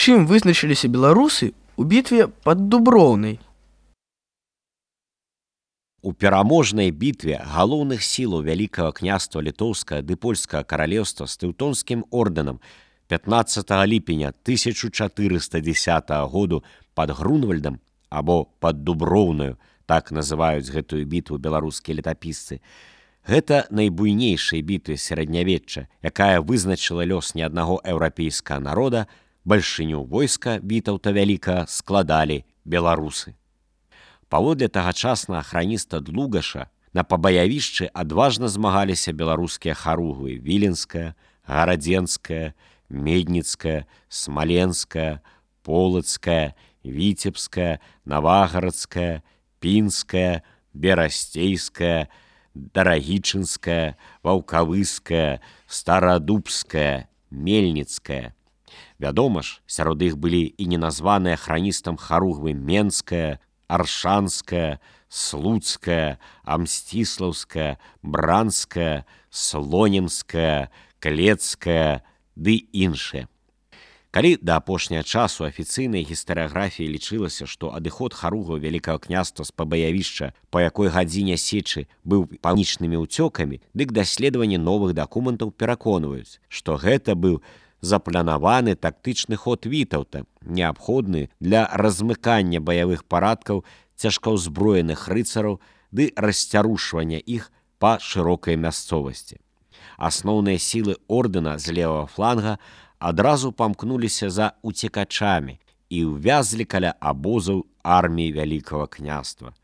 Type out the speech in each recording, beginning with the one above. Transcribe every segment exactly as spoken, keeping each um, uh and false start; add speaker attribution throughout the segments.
Speaker 1: Чым вызначыліся беларусы ў бітве пад Дуброўнай?
Speaker 2: У пераможнай бітве галоўных сілаў Вялікага княства Літоўскага ды Польскага каралеўства з Тэўтонскім ордэнам пятнаццатага ліпеня тысяча чатырыста дзесятага году пад Грунвальдам або пад Дуброўнаю, так называюць гэтую бітву беларускія летапісцы, гэта найбуйнейшая бітва сярэднявечча, якая вызначыла лёс не аднаго еўрапейскага народа, бальшыню войска Вітаўта Вялікага складалі беларусы. Паводле тагачаснага храніста Длугаша на пабаявішчы адважна змагаліся беларускія харугвы Віленская, Гарадзенская, Медніцкая, Смаленская, Полацкая, Віцебская, Навагарадская, Пінская, Берасцейская, Дарагічынская, Ваўкавыская, Старадубская, Мельніцкая. Вядома ж, сярод іх былі і неназваныя храністам харугвы Менская, Аршанская, Слуцкая, Амсціслаўская, Бранская, Слонімская, Клецкая ды іншыя. Калі да апошняга часу афіцыйнай гістарыяграфіі лічылася, што адыход харугваў Вялікага княства з пабаявішча па якой гадзіне сечы быў панічнымі ўцёкамі, дык даследаванні новых дакументаў пераконваюць, што гэта быў запланаваны тактычны ход Вітаўта, неабходны для размыкання баявых парадкаў цяжкаўзброеных рыцараў ды расцярушвання іх па шырокай мясцовасці. Асноўныя сілы ордэна з левага фланга адразу памкнуліся за уцекачамі і ўвязлі каля абозаў арміі Вялікага княства.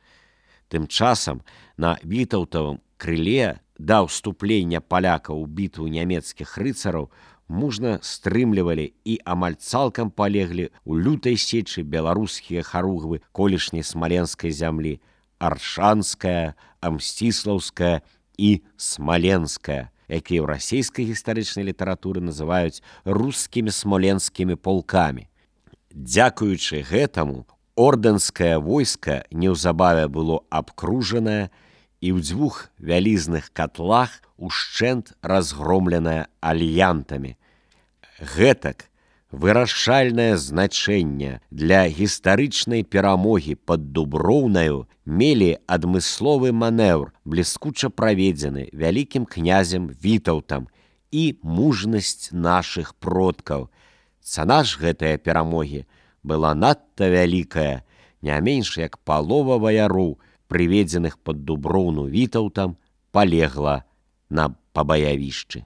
Speaker 2: Тым часам на вітаўтавым крыле да ўступлення палякаў у бітву нямецкіх рыцараў мужна стрымлівалі і амаль цалкам палеглі ў лютай сечы беларускія харугвы колішняй смаленскай зямлі Аршанская, Амсціслаўская і Смаленская, якія ў расійскай гістарычнай літаратуры называюць рускімі смоленскімі полкамі. Дзякуючы гэтаму, ордэнскае войска неўзабаве было абкружанае і ў дзвюх вялізных катлах ушчэнт разгромленае альянтамі. Гэтак вырашальнае значэнне для гістарычнай перамогі пад Дуброўнаю мелі адмысловы манеўр, бліскуча праведзены вялікім князем Вітаўтам і мужнасць нашых продкаў. Цана ж гэтыя перамогі была надта вялікая, не менш як палова ваяроў, прыведзеных пад Дуброўну Вітаўтам, палегла на пабаявішчы.